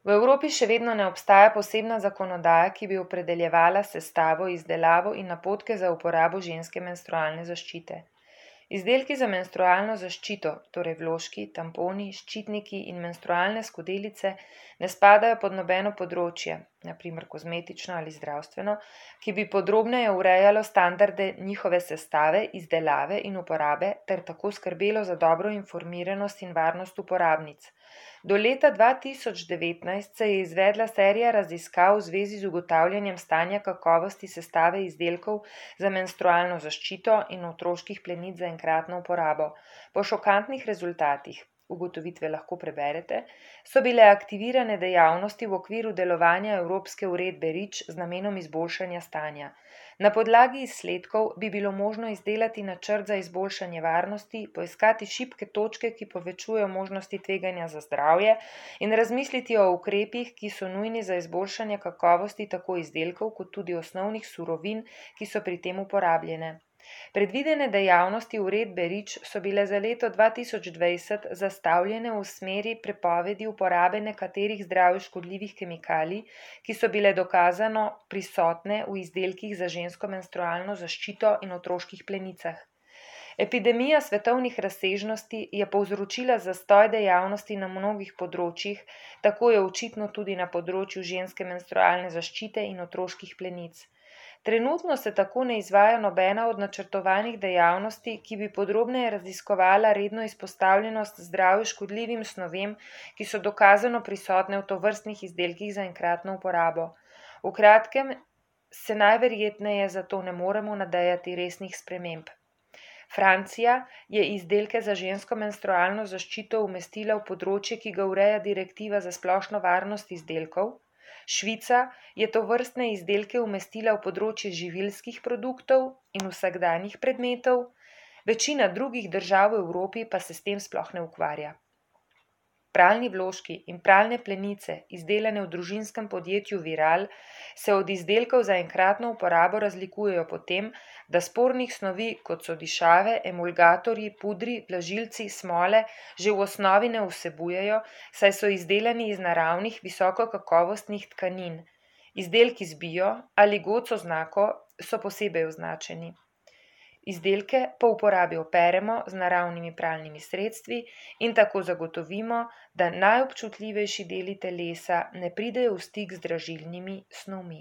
V Evropi še vedno ne obstaja posebna zakonodaja, ki bi opredeljevala sestavo, izdelavo in napotke za uporabo ženske menstrualne zaščite. Izdelki za menstrualno zaščito, torej vložki, tamponi, ščitniki in menstrualne skodelice, ne spadajo pod nobeno področje, na primer kozmetično ali zdravstveno, ki bi podrobneje urejalo standarde njihove sestave, izdelave in uporabe ter tako skrbelo za dobro informiranost in varnost uporabnic. Do leta 2019 se je izvedla serija raziskav v zvezi z ugotavljanjem stanja kakovosti sestave izdelkov za menstrualno zaščito in otroških plenic za enkratno uporabo. Po šokantnih rezultatih, ugotovitve lahko preberete, so bile aktivirane dejavnosti v okviru delovanja Evropske uredbe REACH z namenom izboljšanja stanja. Na podlagi izsledkov bi bilo možno izdelati načrt za izboljšanje varnosti, poiskati šibke točke, ki povečujejo možnosti tveganja za zdravje, in razmisliti o ukrepih, ki so nujni za izboljšanje kakovosti tako izdelkov kot tudi osnovnih surovin, ki so pri tem uporabljene. Predvidene dejavnosti uredbe REACH so bile za leto 2020 zastavljene v smeri prepovedi uporabe nekaterih zdravju škodljivih kemikalij, ki so bile dokazano prisotne v izdelkih za žensko menstrualno zaščito in otroških plenicah. Epidemija svetovnih razsežnosti je povzročila zastoj dejavnosti na mnogih področjih, tako je očitno tudi na področju ženske menstrualne zaščite in otroških plenic. Trenutno se tako ne izvaja nobena od načrtovanih dejavnosti, ki bi podrobneje raziskovala redno izpostavljenost zdravju škodljivim snovem, ki so dokazano prisotne v tovrstnih izdelkih za enkratno uporabo. V kratkem se najverjetneje zato ne moremo nadejati resnih sprememb. Francija je izdelke za žensko menstrualno zaščito umestila v področje, ki ga ureja direktiva za splošno varnost izdelkov. Švica je tovrstne izdelke umestila v področje živilskih produktov in vsakdanjih predmetov, večina drugih držav v Evropi pa se s tem sploh ne ukvarja. Pralni vložki in pralne plenice, izdelane v družinskem podjetju Viral, se od izdelkov za enkratno uporabo razlikujejo po tem, da spornih snovi, kot so dišave, emulgatorji, pudri, vlažilci, smole, že v osnovi ne vsebujejo, saj so izdelani iz naravnih visokokakovostnih tkanin. Izdelki z bio ali GOTS oznako so posebej označeni. Izdelke po uporabi operemo z naravnimi pralnimi sredstvi in tako zagotovimo, da najobčutljivejši deli telesa ne pridejo v stik z dražilnimi snovmi.